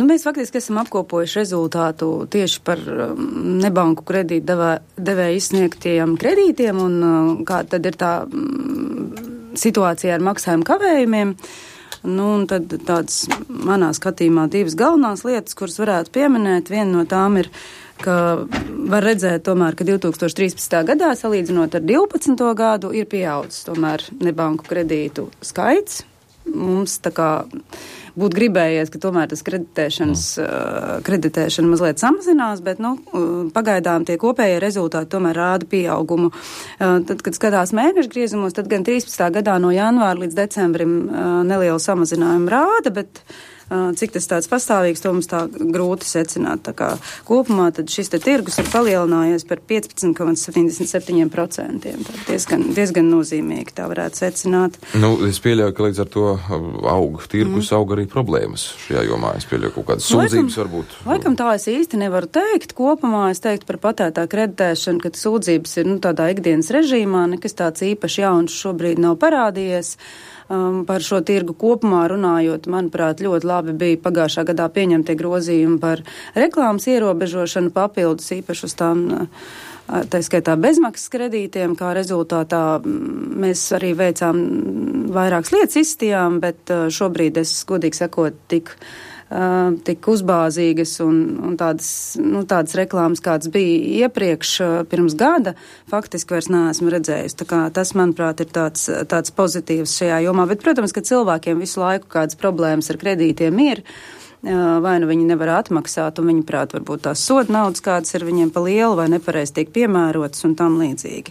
Mēs faktiski esam apkopojuši rezultātu tieši par nebanku kredītu devēju izsniegtiem kredītiem un kā tad ir tā situācija ar maksājumu kavējumiem. Un tad tādas manā skatījumā divas galvenās lietas, kuras varētu pieminēt. Viena no tām ir, ka var redzēt tomēr, ka 2013. gadā salīdzinot ar 12. gadu ir pieaudzis tomēr nebanku kredītu skaits. Mums tā kā būtu gribējies, ka tomēr tas kreditēšana mazliet samazinās, bet, pagaidām tie kopējie rezultāti tomēr rāda pieaugumu. Tad, kad skatās mēnešu griezumos, tad gan 13. gadā no janvāra līdz decembrim nelielu samazinājumu rāda, bet cik tas tāds pastāvīgs, to mums tā grūti secināt. Tā kā kopumā tad šis te tirgus ir palielinājies par 15,77%. Diezgan nozīmīgi tā varētu secināt. Es pieļauju, ka līdz ar to tirgus aug arī problēmas šajā jomā. Es pieļauju kaut kādas sūdzības varbūt. Laikam tā es īsti nevaru teikt. Kopumā es teiktu par patērētāju kreditēšanu, ka sūdzības ir tādā ikdienas režīmā, nekas tāds īpaši jauns šobrīd nav parādījies. Par šo tirgu kopumā runājot, manuprāt, ļoti labi bija pagājušā gadā pieņemtie grozījumi par reklāmas ierobežošanu papildus īpaši uz tām, tā skaitā bezmaksas kredītiem, kā rezultātā mēs arī veicām vairākas lietas izstījām, bet šobrīd es, godīgi sakot, tik uzbāzīgas un tādas reklāmas, kādas bija iepriekš pirms gada, faktiski vairs neesmu redzējusi. Tā kā tas, manuprāt, ir tāds pozitīvs šajā jomā. Bet, protams, ka cilvēkiem visu laiku kādas problēmas ar kredītiem ir, vai nu viņi nevar atmaksāt, un viņi prāt varbūt tās soda naudas, kādas ir viņiem pa lielu vai nepareizi tiek piemērotas un tam līdzīgi.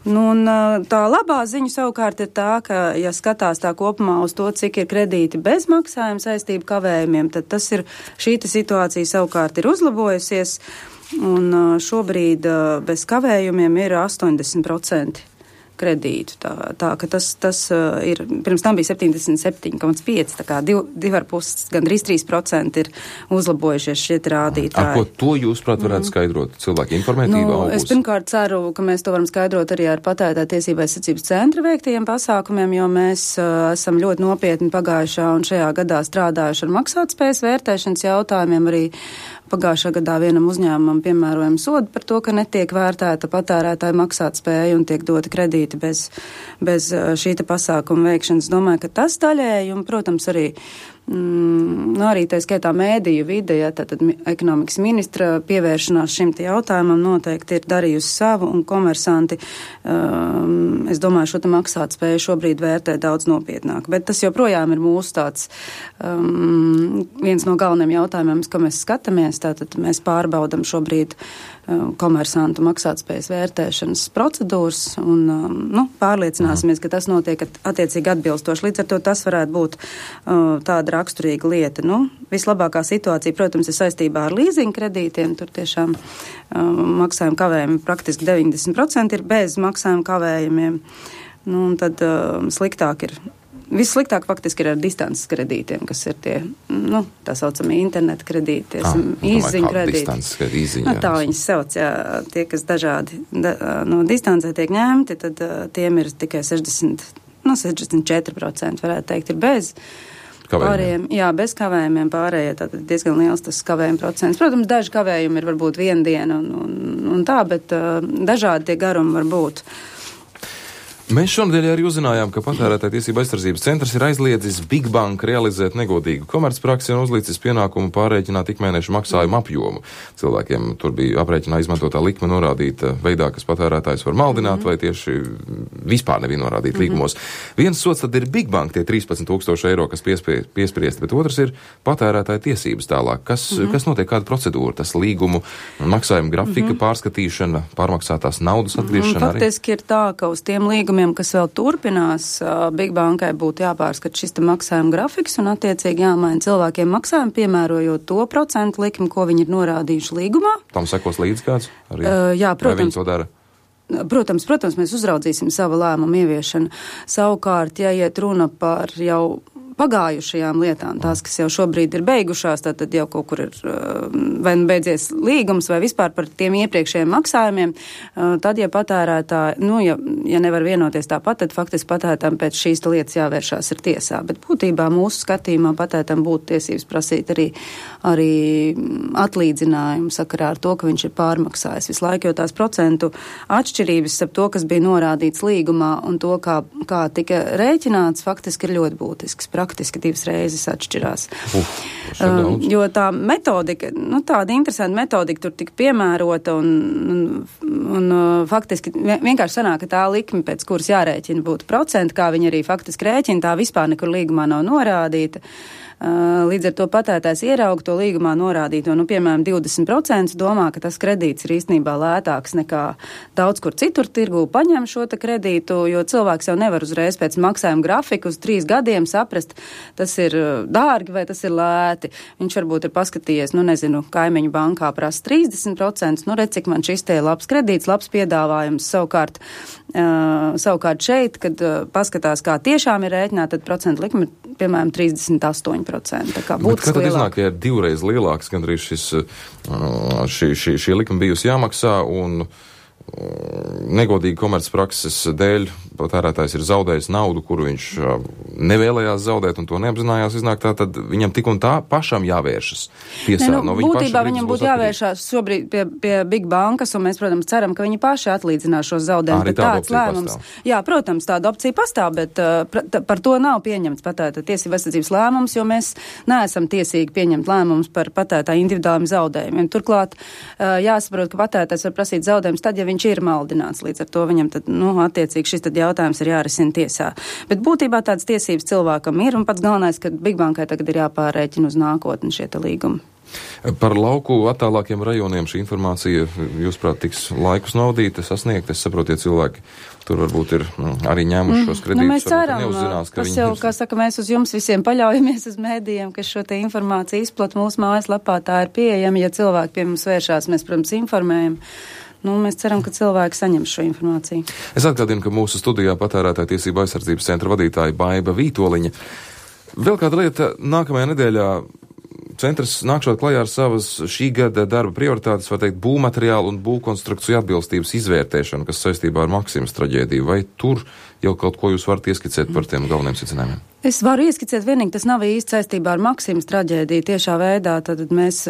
Un tā labā ziņa savukārt ir tā, ka, ja skatās tā kopumā uz to, cik ir kredīti bez maksājuma saistību kavējumiem, tad šī situācija savukārt ir uzlabojusies, un šobrīd bez kavējumiem ir 80% kredītu. Tā ka tas ir, pirms tam bija 77,5, tā kā 2,5, gandrīz 3% ir uzlabojušies šie rādītāji. Ko to jūs, prāt, varētu skaidrot? Cilvēki informētība augus? Es pirmkārt ceru, ka mēs to varam skaidrot arī ar patērētāju tiesību aizsardzības centra veiktajiem pasākumiem, jo mēs esam ļoti nopietni pagājušā un šajā gadā strādājuši ar maksātspējas vērtēšanas jautājumiem. Arī pagājušā gadā vienam uzņēmumam piemērojam sodu par to, ka netiek vērtēta patērētāja maksātspēja un tiek doti kredīti bez šī pasākuma veikšanas. Domāju, ka tas daļēji un, protams, arī tā skaitā mēdīju vide, tātad ekonomikas ministra pievēršanās šim jautājumam noteikti ir darījusi savu, un komersanti, es domāju, šo maksātspēju šobrīd vērtē daudz nopietnāk. Bet tas joprojām ir mūsu tāds viens no galvenajiem jautājumiem, ko mēs skatāmies. Tātad mēs pārbaudam šobrīd komersantu maksātspējas vērtēšanas procedūras un pārliecināsimies, ka tas notiek attiecīgi atbilstoši. Līdz ar to tas varētu būt tāda raksturīga lieta. Vislabākā situācija, protams, ir saistībā ar līzinga kredītiem. Tur tiešām maksājuma kavējumi praktiski 90% ir bez maksājuma kavējumiem. Un tad sliktāk ir. Vissliktāk faktiski ir ar distances kredītiem, kas ir tie, tā saucamie interneta kredīti, īsziņu kredīti. Tā viņas sauc, tie, kas dažādi no distancē tiek ņemti, tad tiem ir tikai 64%, varētu teikt, ir bez. Pārējiem, bez kavējumiem pārējie, tātad diezgan liels tas kavējuma procents. Protams, daži kavējumi ir varbūt viena diena un tā, bet dažādi tie garumi var būt. Mēs šonadēļ arī uzzinājām, ka patērētāju tiesību aizsardzības centrs ir aizliedzis Big Bank realizēt negodīgu komercpraksi un uzlicis pienākumu pārrēķināt ikmēneša maksājumu apjomu. Cilvēkiem tur bija aprēķinā izmantotā likme norādīta veidā, kas patērētājs var maldināt, vai tieši vispār nebija norādīta līgumos. Viens sots tad ir Big Bank, tie 13,000 eiro, kas piespriesti, bet otrs ir patērētāju tiesības tālāk. Kas notiek, kāda procedūra? Tas līgumu maksājuma grafika pārskatīšana, pārmaksātās naudas atgriešana arī? Faktiski ir tā, ka uz tiem līgumiem, kas vēl turpinās, Big Bankai būtu jāpārskat šis maksājuma grafiks un attiecīgi jāmaina cilvēkiem maksājumu, piemērojot to procentu likmi, ko viņi ir norādījuši līgumā. Tam sekos līdz kāds? Arī? Jā, protams. Vai viņi to dara? Protams, mēs uzraudzīsim savu lēmumu ieviešanu. Savukārt, ja iet runa par jau pagājušajām lietām, tās, kas jau šobrīd ir beigušās, tad jau kaut kur ir vai nu beidzies līgums vai vispār par tiem iepriekšējiem maksājumiem, tad, ja patērētāji, ja nevar vienoties tāpat, tad faktiski patērētājiem pēc šīs lietas jāvēršās ir tiesā. Bet būtībā mūsu skatījumā patērētājiem būtu tiesības prasīt arī atlīdzinājumu sakarā ar to, ka viņš ir pārmaksājis visu laiku, jo tās procentu atšķirības starp to, kas bija norādīts līgumā un to, kā tika rēķināts, faktiski ir ļoti būtisks. Praktiski 2 reizes atšķirās. Jo tā metodika, tāda interesanta metodika tur tika piemērota un faktiski vienkārši sanāk, ka tā likme, pēc kuras jārēķina būtu procenti, kā viņi arī faktiski rēķina, tā vispār nekur līgumā nav norādīta. Līdz ar to patērētājs ierauga to līgumā norādīto, piemēram, 20% domā, ka tas kredīts ir īstenībā lētāks nekā daudz kur citur tirgū paņem šo te kredītu, jo cilvēks jau nevar uzreiz pēc maksājuma grafiku uz 3 gadiem saprast, tas ir dārgi vai tas ir lēti. Viņš varbūt ir paskatījies, kaimiņu bankā prasa 30%, redz, cik man šis te labs kredīts, labs piedāvājums. Savukārt šeit, kad paskatās, kā tiešām ir rēķināta, tad procentu likme ir, piemēram, 38%. Tā kā būtiski lielāka. Bet kad iznāk, ja ir 2 reizes lielāks, gandrīz šī likme bijusi jāmaksā un negodīgi komercprakses dēļ patērētājs ir zaudējis naudu, kuru viņš nevēlējās zaudēt un to neapzinājās iznāk, tā tad viņam tik un tā pašam jāvēršas tiesā. Būtībā viņam būtu jāvēršās šobrīd pie Big Bankas, un mēs, protams, ceram, ka viņi paši atlīdzinās šos zaudējumus. Bet tāds lēmums. Pastāv. Jā, protams, tāda opcija pastāv, bet par to nav pieņemts patērētāja tiesību aizsardzības lēmums, jo mēs neesam tiesīgi pieņemt lēmumus par patērētāju individuāliem zaudējumiem. Turklāt jāsaprot, ka patērētājs var prasīt zaudējumus tad, ja viņš ir maldināts. Līdz ar to viņam tad, attiecīgi šis tad jautājums ir jārisina tiesā. Bet būtībā tādas tiesības cilvēkam ir, un pats galvenais, ka Big Bankai tagad ir jāpārrēķina uz nākotni šie te līgumi. Par lauku attālākiem rajoniem šī informācija, jūsuprāt, tiks laikus naudīta, sasniegta. Es saprotu, ja cilvēki tur varbūt ir arī ņēmuši šos kredītus. Mēs ceram, mēs uz jums visiem paļaujamies uz mēdījiem, kas šo te informāciju izplat mūsu mājaslapā, tā ir pieejama. Ja cilvēki pie mums vēršās, mēs, protams, informējam. Mēs ceram, ka cilvēki saņem šo informāciju. Es atgādinu, ka mūsu studijā patērētāja tiesība aizsardzības centra vadītāja Baiba Vītoliņa. Vēl kāda lieta, nākamajā nedēļā centrs nākšot klajā ar savas šī gada darba prioritātes, var teikt, būvmateriālu un būvkonstrukciju atbilstības izvērtēšanu, kas saistībā ar Maksimas traģēdiju. Vai tur jau kaut ko jūs varat ieskicēt par tiem galveniem secinājumiem? Es varu ieskicēt vienīgi, tas nav īsti saistībā ar Maksimas traģēdiju tiešā veidā, tad mēs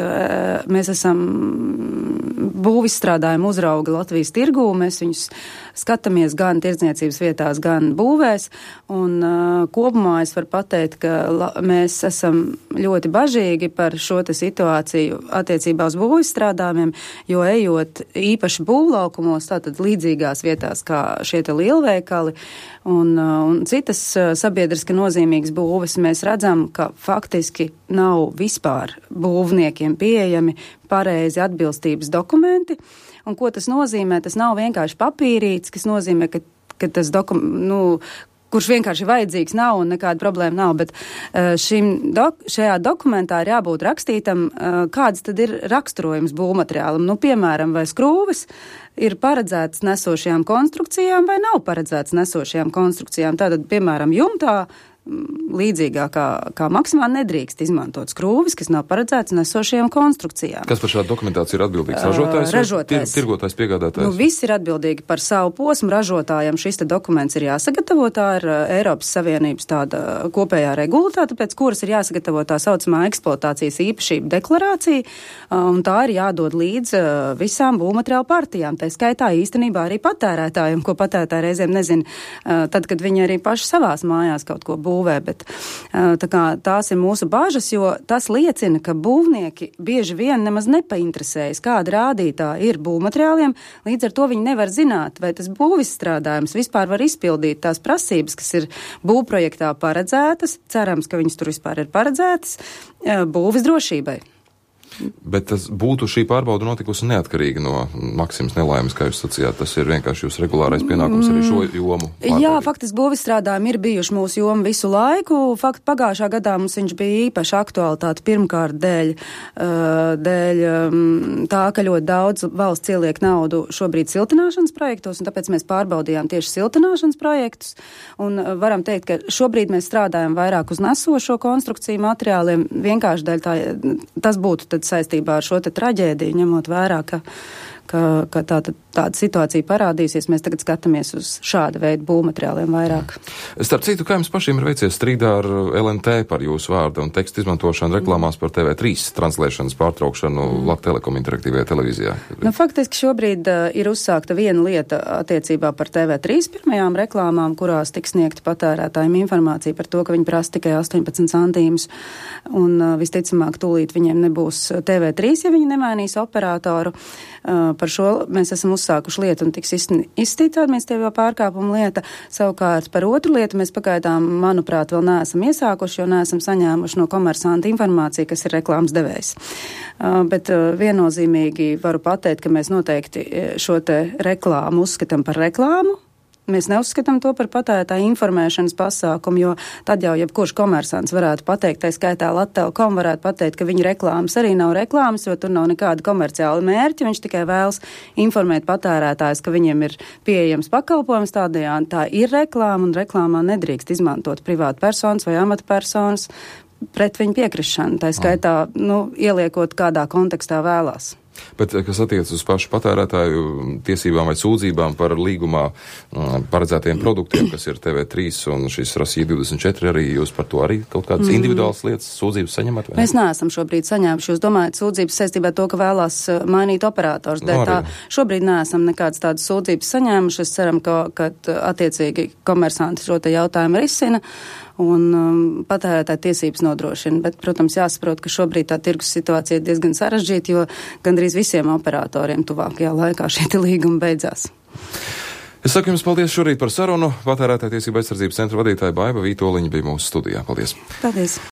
esam būvizstrādājumu uzrauga Latvijas tirgū, mēs viņus skatāmies gan tirdzniecības vietās, gan būvēs, un kopumā es varu pateikt, ka mēs esam ļoti bažīgi par šo te situāciju attiecībā uz būvizstrādājumiem, jo ejot īpaši būvlaukumos, tātad līdzīgās vietās kā šie te lielveikali un citas sabiedriski nozīmīgas būves, mēs redzam, ka faktiski nav vispār būvniekiem pieejami pareizi atbilstības dokumenti. Un ko tas nozīmē? Tas nav vienkārši papīrīts, kas nozīmē, ka tas kurš vienkārši vajadzīgs nav un nekāda problēma nav, bet šajā dokumentā ir jābūt rakstītam, kāds tad ir raksturojums būvmateriālam. Piemēram, vai skrūves ir paredzētas nesošajām konstrukcijām vai nav paredzētas nesošajām konstrukcijām. Tātad, piemēram, jumtā līdzīgā kā Maksimā nedrīkst izmantot skrūvis, kas nav paredzēts nesošajām konstrukcijām. Kas par šādu dokumentāciju ir atbildīgs? Ražotājs? Tirgotājs, piegādātājs? Visi ir atbildīgi par savu posmu. Ražotājiem šis te dokuments ir jāsagatavo. Tā ir Eiropas Savienības tāda kopējā regulātāte, pēc kuras ir jāsagatavo tā saucamā eksploatācijas īpašība deklarācija, un tā ir jādod līdz visām būvmateriālu partijām. Tā skaitā īstenībā arī patērētājiem, ko patērētāji reizēm nezina, tad, kad viņi arī paši savās mājās kaut ko būvē, bet tās ir mūsu bāžas, jo tas liecina, ka būvnieki bieži vien nemaz nepainteresējas, kāda rādītāja ir būvmateriāliem, līdz ar to viņi nevar zināt, vai tas būvizstrādājums vispār var izpildīt tās prasības, kas ir būvprojektā paredzētas, cerams, ka viņas tur vispār ir paredzētas, būvis drošībai. Bet tas būtu šī pārbauda notikusi neatkarīgi no Maksimas nelaimes, kā jūs sacījāt. Tas ir vienkārši jūs regulārais pienākums arī šo jomu pārbaudīt. Jā, faktiski būvizstrādājumi ir bijuši mūsu joma visu laiku. Pagājušā gadā mums viņš bija īpaši aktualitāte pirmkārt dēļ tā, ka ļoti daudz valsts ieliek naudu šobrīd siltināšanas projektos, un tāpēc mēs pārbaudījām tieši siltināšanas projektus. Un varam teikt, ka šobrīd mēs strādājam vairāk uz nesošo konstrukciju materiāliem, vienkārši dēļ tas būtu tad saistībā ar šo te traģēdiju, ņemot vērā, ka tāda situācija parādīsies, mēs tagad skatāmies uz šāda veida būvmateriāliem vairāk. Starp citu, kā jums pašiem ir veicies strīdā ar LNT par jūsu vārdu un tekstu izmantošanu reklāmās par TV3 translēšanas pārtraukšanu Latvtelekom interaktīvajā televīzijā? Faktiski šobrīd ir uzsākta viena lieta attiecībā par TV3 pirmajām reklāmām, kurās tiks sniegta patērētājiem informācija par to, ka viņi prasa tikai 18 centīmus, un visticamāk tūlīt viņiem nebūs TV3, ja viņi nemainīs operatoru. Par šo mēs esam uzsākuši lietu un tiks izstīta administratīvā pārkāpuma lieta. Savukārt par otru lietu mēs pagaidām, manuprāt, vēl neesam iesākuši, jo neesam saņēmuši no komersanta informāciju, kas ir reklāmas devējs. Bet viennozīmīgi varu pateikt, ka mēs noteikti šo te reklāmu uzskatām par reklāmu. Mēs neuzskatām to par patērētāju informēšanas pasākumu, jo tad jau jebkurš komersants varētu pateikt, tā skaitā Latvtelekom varētu pateikt, ka viņa reklāmas arī nav reklāmas, jo tur nav nekāda komerciāla mērķa, viņš tikai vēlas informēt patērētājus, ka viņiem ir pieejams pakalpojums tādējādi. Tā ir reklāma, un reklāmā nedrīkst izmantot privātu personas vai amatpersonas pret viņu piekrišanu, tā skaitā, ieliekot kādā kontekstā vēlās. Bet, kas attiecas uz pašu patērētāju tiesībām vai sūdzībām par līgumā paredzētiem produktiem, kas ir TV3 un šis Rasija 24, arī jūs par to arī kaut kādas individuālas lietas sūdzības saņemat? Mēs neesam šobrīd saņēmuši. Jūs domājat sūdzības saistībā ar to, ka vēlās mainīt operators. Šobrīd neesam nekādas tādas sūdzības saņēmuši. Es ceram, ka attiecīgi komersanti šo te jautājumu risina un patērētāju tiesības nodrošina. Bet, protams, jāsaprot, ka šobrīd tā tirgus situācija ir diezgan sarežģīta, jo gandrīz visiem operatoriem tuvākajā laikā šie līgumi beidzās. Es saku jums paldies šorīt par sarunu. Patērētāju tiesību aizsardzības centra vadītāja Baiva Vītoliņa bija mūsu studijā. Paldies! Paldies!